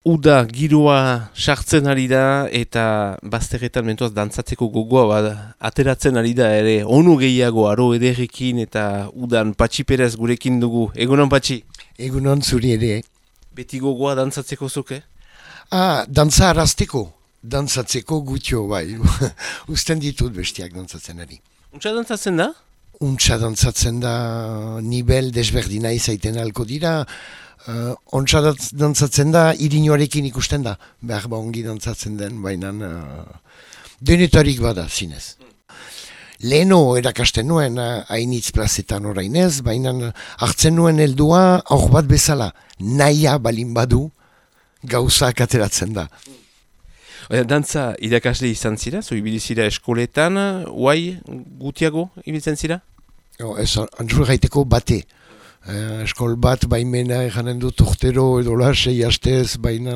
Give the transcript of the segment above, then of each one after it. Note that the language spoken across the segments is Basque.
Uda giroa sartzen ari da eta bazterretan mentuaz dantzatzeko gogoa ateratzen ari da ere onu gehiago aro ederrekin eta udan Patxi Perez gurekin dugu. Egunon Patxi? Egunon zuri ere. Beti gogoa dantzatzeko zuke? Dantza arazteko. Dantzatzeko gutxo bai. Usten ditut bestiak dantzatzen ari. Untsa dantzatzen da? Untsa dantzatzen da nivel desberdina izaiten alko dira. Ontsa dantzatzen da, irinoarekin ikusten da. Behar ongi dantzatzen den, baina denetarik bada, zinez. Leheno erakasten nuen hainitz plazetan orainez, baina hartzen nuen heldua aur bat bezala. Naia balin badu, gauzak ateratzen da. Dantza irakasle izan zira, zo ibilizira eskoletan, guai gutiago ibiltzen zira? Ez, antzur gaiteko bate. Eskol bat baimena eganen dut urtero edo la 6 astez, baina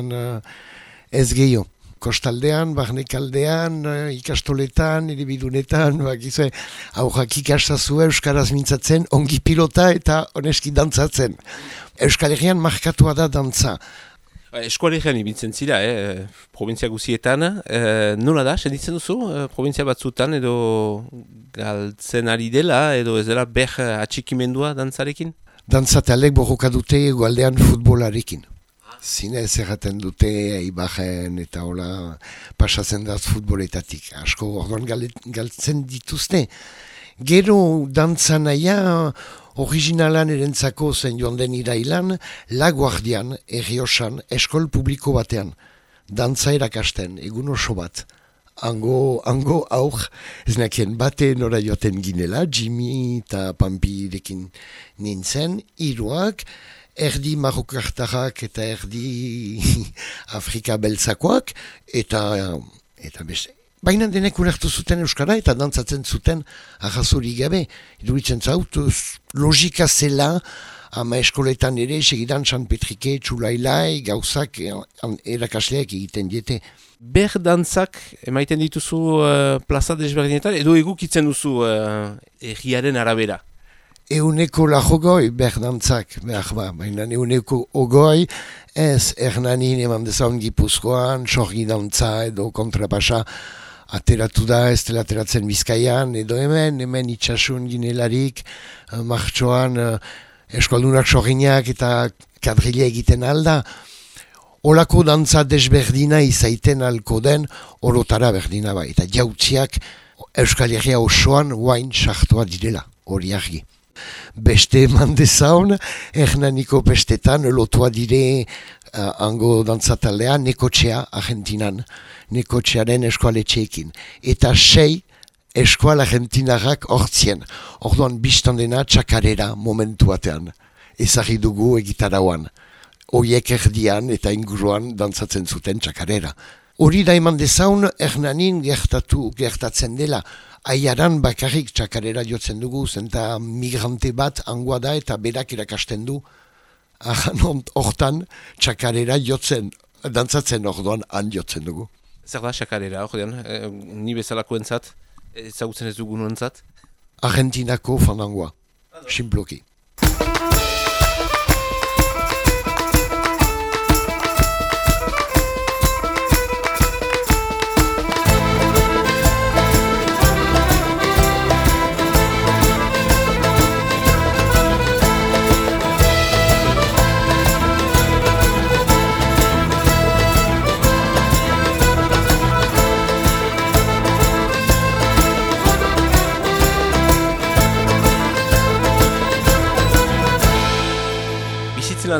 ez gehiago. Kostaldean, barnekaldean, ikastoletan, eribidunetan, bakizue, aurrak ikastazue euskaraz mintzatzen, ongi pilota eta oneski dantzatzen. Euskal Herrian markatua da dantza. Eskualegian ibiltzen zira, provintzia guzietan. Nola da, senditzen duzu, provintzia batzutan edo galtzen ari dela, edo ez dela ber atxikimendua dantzarekin? Dantzatalek borroka dute egualdean futbolarekin. Zinez erraten dute Eibarren eta hola pasatzen da futboletatik. Asko orduan galtzen dituzte. Gero dantza naia originalan erentzako zen joan den irailan, La Guardian, Errioxan, eskol publiko batean. Dantza erakasten, egun oso bat. Hango aur, ez nakien bate nora joaten ginela, Jimmy eta Pampirekin nintzen, hiruak, erdi marokartarrak eta erdi Afrika beltzakoak, eta beste. Baina denek ulertu zuten euskara eta dantzatzen zuten ahazuri gabe. Iduritzen zaut, logika zela, ama eskoletan ere, segidan San Petrike, Txulailai, gauzak erakasleak egiten diete. Ber dantzak emaiten dituzu plaza desberdinetan, edo egukitzen duzu erriaren arabera? Euneko lajogoi ber dantzak, baina euneko ogoi, ez Hernanin eman dezaun Gipuzkoan, sorgi dantza edo kontrapasa, ateratu da, ez dela ateratzen Bizkaian, edo hemen itxasun ginelarik, martxoan eskaldunak sorginak eta kadrila egiten alda. Olako dantza desberdina izaiten alko den orotara berdina bai. Eta jautziak Euskal Herria osoan guain sartua direla, hori argi. Beste eman dezaun, Hernaniko pestetan lotua dire hango dantzataldea Nekotxea Argentinan, Nekotxearen eskoaletxeekin. Eta 6 eskual argentinarrak hortzien. Orduan biztan dena txakarera momentu batean. Ezagri dugu egitarauan. Oiek erdian eta inguruan dantzatzen zuten txakarera. Hori da eman dezaun Hernanin gertatzen dela. Aiaran bakarrik txakarera jotzen dugu, zenta migrante bat angoa da eta berak erakasten du. Hortan txakarera jotzen, dantzatzen orduan han jotzen dugu. Zer da txakarera, ordean, ni bezalako entzat, ezagutzen ez dugun entzat? Argentinako fandangoa, simploki.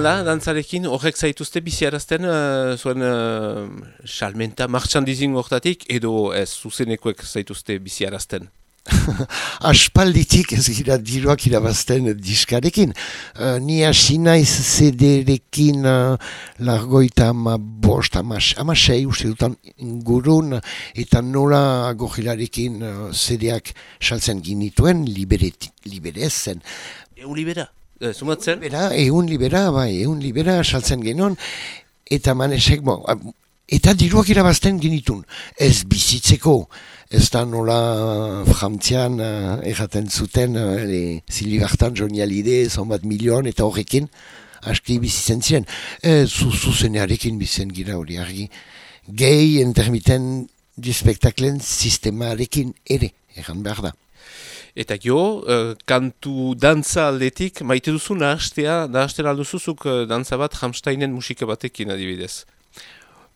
Da, dantzarekin horrek zaituzte biziarazten zuen salmenta martxandizin horretatik edo ez zuzenekoek zaituzte biziarazten? Aspalditik ez gira diruak irabazten diskarekin. Ni hasi naiz CD-rekin largoita amasei uste dutan ingurun eta nola gojilarekin CD-ak saltzen ginituen liberezen. Libera? Zumatzen? Egun libera saltzen genon, eta manesek, eta diruak irabazten genitun. Ez bizitzeko, ez da nola frantzian erraten zuten, zilibartan Johnny Hallyday, 100 milion, eta horrekin, aski bizitzen ziren. Zuzenearekin bizen gira hori argi. Gehi intermiten du spektaklen sistemarekin ere, egan behar da. Eta kantu dantza aldetik, maite duzu nahazten alduzuzuk dantza bat Rammsteinen musika batekin adibidez.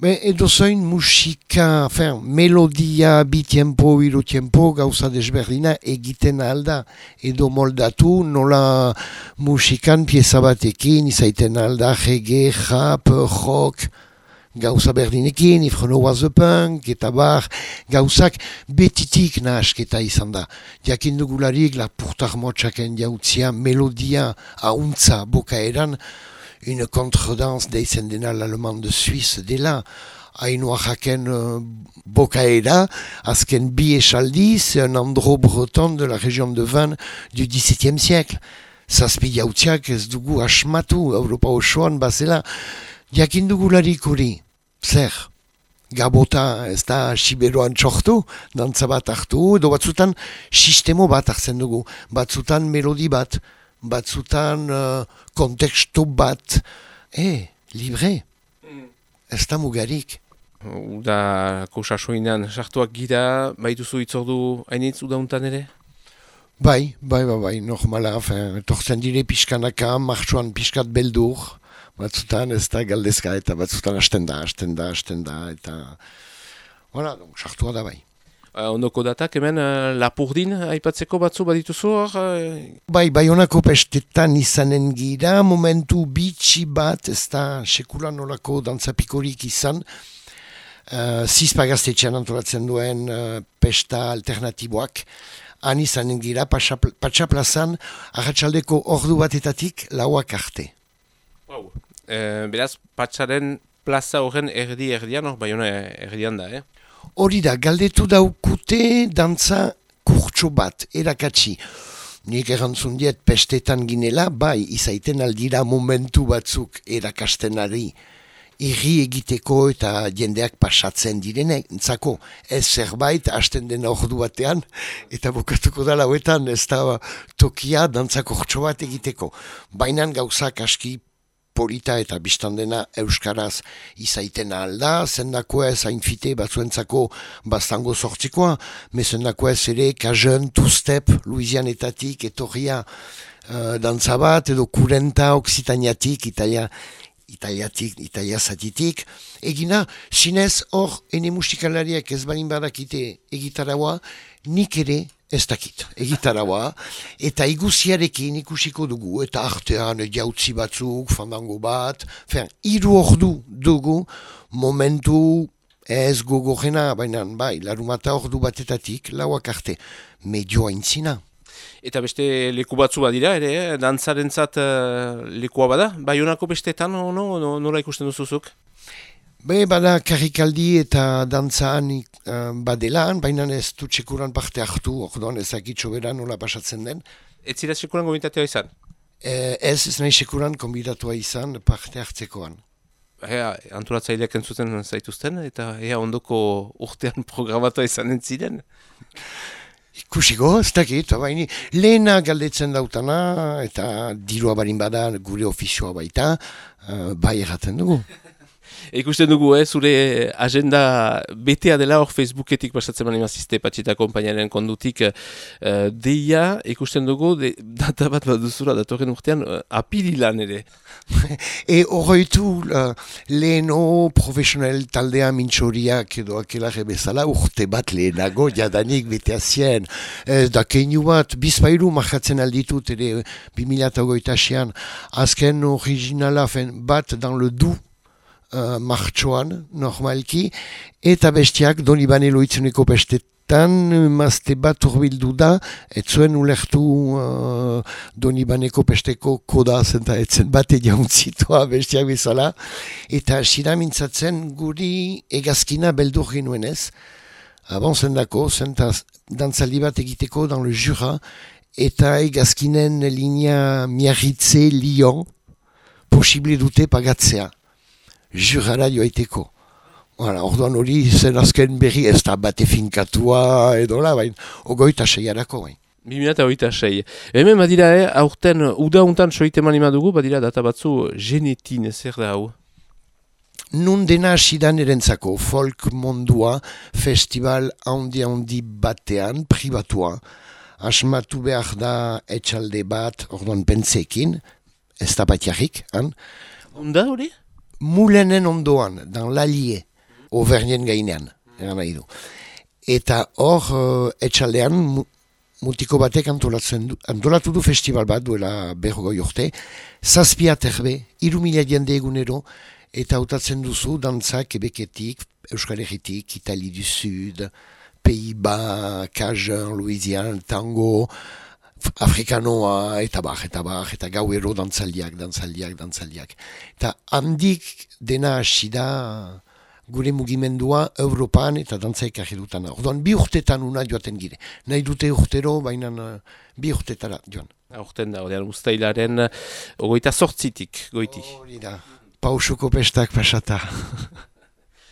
Edo zoin musika, melodia, bi tiempo, hiru tiempo, gauza desberdina egiten alda. Edo moldatu nola musikan pieza batekin, izaiten alda, reggae, rap, rock, gauza berdinekin, If Renault Was a Punk, eta bar, gauzak betitik nahasketa izan da. Jakin dugularik, lapurtar motxaken jautzia, melodia, hauntza, bokaeran, une contredanse deitzen dena l'allemand de Suisse dela, hainua jaken bokaera, azken bi esaldiz, un andro breton de la région de Vannes du XVIIe siècle. Zazpi jautziak ez dugu asmatu, Europa osoan bazela, jakin dugularik hori, zer, gabota ez da siberoan txortu, dantza bat hartu, edo batzutan sistemo bat hartzen dugu, batzutan melodi bat, batzutan kontekstu bat, libre, ez da mugarik. Udako sasoinan sartuak gira, baituzu itzordu hainitz udauntan ere? Bai, normala, tortzen dire pixkanaka, martxuan pixkat beldur, batzutan ez da galdezka eta batzutan hasten da, eta voilà, sartua da bai. Ondoko datak, hemen Lapurdin aipatzeko batzu badituzu hor? Bai honako pestetan izanen gira, momentu bitxi bat, ez da sekulan nolako dantzapikorik izan, Zizpagaztetxean antolatzen duen pesta alternatiboak, han izanen gira, Patxaplazan, arratsaldeko ordu batetatik lauak arte. Wow. Beraz, Patxaren plaza horren erdian, Baiona erdian da, Hori da, galdetu daukute dantza kurtso bat, erakatsi. Nik erantzun diet pestetan ginela, bai, izaiten aldira momentu batzuk erakastenari. Irri egiteko eta jendeak pasatzen direnek, entzako, ez zerbait hasten dena ordu batean, eta bukatuko da lauetan, ez da tokia dantza kurtso bat egiteko. Bainan gauzak aski polita eta biztan dena euskaraz izaiten alda, zendako ez hainfite batzuentzako bastango sortzikoa, mezendako ez ere kajen, two-step, Louisianetatik, etorria dantza bat, edo kurenta, oksitaniatik, Italia zatitik. Egina, zinez hor, ene musikalariak ez balin badakite egitaraua, nik ere ez dakit, egitaraua, eta iguziarekin ikusiko dugu, eta artean jautzi batzuk, fandango bat, hiru ordu dugu, momentu ez gogorrena, baina bai, larumata ordu batetatik, lauak arte, medioa intzina. Eta beste leku batzu badira, ere, dantzarentzat lekua bada? Baionako bestetan, nola ikusten duzuzuk? Bada karrikaldi eta dantzaan badelan, baina ez du txekuran parte hartu, orduan ezakitxo bera nola pasatzen den. Ez zira txekuran gombitatua izan? Ez nahi txekuran konbidatua izan parte hartzekoan. Antolatzaileak entzuten zaituzten, eta ondoko urtean programatua izanen ziren? Ikusiko, ez dakit, baina lehena galdetzen dautana, eta dirua barin bada gure ofizioa baita, bai erraten dugu. Ikusten dugu, zure agenda betea dela hor Facebooketik pasatzen mani mazizte Patxita konpainaren kondutik deia, ikusten dugu, data bat duzura datorren urtean apirilan ere. Horreitu leheno profesional taldea mintxoriak edo akelare bezala urte bat lehenago jadanik betea zien. Da keinu bat, bizpairu markatzen alditut ere 2008an, azken originala bat dan le du, martxoan, normalki, eta bestiak Donibane Loitzuneko bestetan, mazte bat urbildu da, etzuen ulertu Donibaneko besteko koda zenta etzen bate jauntzitua bestiak bezala, eta sira mintzatzen guri egazkina beldur genuen ez, zendako, zenta dantzaldi bat egiteko dan le Jura, eta egazkinen linea Miarritze Lyon, posible dute pagatzea. Jurara joaiteko. Orduan hori zen azken berri ez da bate finkatua edo la, baina ogoita seiarako bain. 2026. Hemen badira, aurten, uda untan soite manima dugu, badira data batzu genetin, zer da hau? Nun dena asidan erentzako folk mondua festival handi batean, privatua. Asmatu behar da etxalde bat, orduan pentsekin, ez da bat jarrik, han? Onda hori? Mulenen ondoan, dan lalie, Auvergnien gainean, eran nahi du. Eta hor, etxaldean, mutiko batek antolatu du festival bat, duela 40 urte, 7 aterbe, 3.000 jende egunero, eta hautatzen duzu dantzak Quebeketik, Euskal Herritik, Itali du Sud, Pays-Bas, Cajun, Louisiane, Tango, Afrikanoa, eta gauero dantzaldiak. Eta handik dena hasi da gure mugimendua Europan eta dantzaik ahidutan. Orduan, 2 urtetan una joaten gire. Nahi dute urtero, baina 2 urtetara joan. Aurten da, odean ustailaren 28tik, goiti. Hori da. Pausuko pestak pasata.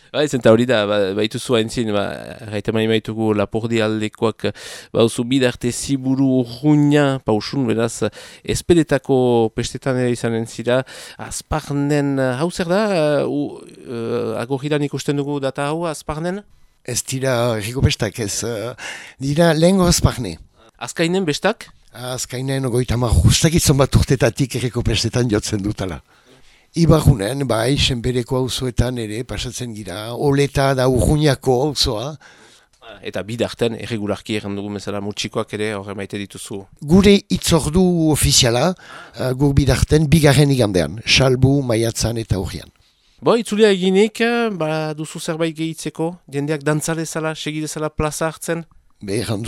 Zenta hori da, baitu zua entzin, gaita maitugu Lapurdi aldekoak bauzu bidarte ziburu urruina, pausun, beraz, esperetako pestetan ere izanen zira, Azparnen, hau zer da, agogiran ikusten dugu data hau, Azparnen? Ez dira erriko pestak, ez dira lehengo Azparne. Azkainen bestak? Azkainen, 30 bat urtetatik erriko pestetan jotzen dutala. Ibarrunen, bai, senbereko auzoetan ere, pasatzen gira, oleta da urruñako auzoa. Eta bidarten, erregularki erran dugu bezala mutxikoak ere, horre maite dituzu. Gure itzordu ofiziala, gur bidarten, 2. igandean, salbu, maiatzan eta horrian. Itzulia eginik, duzu zerbait gehitzeko, jendeak dantzalezala, segidezala plaza hartzen? Erran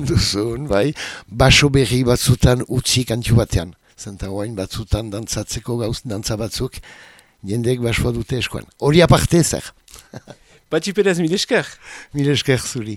duzun, bai, baso berri batzutan utzi kantu batean. Zenta hoain batzutan dantzatzeko dantza batzuk, jendek basoa dute eskoan. Hori aparte zer. Patxi Perez, mil esker. Mil esker zuri.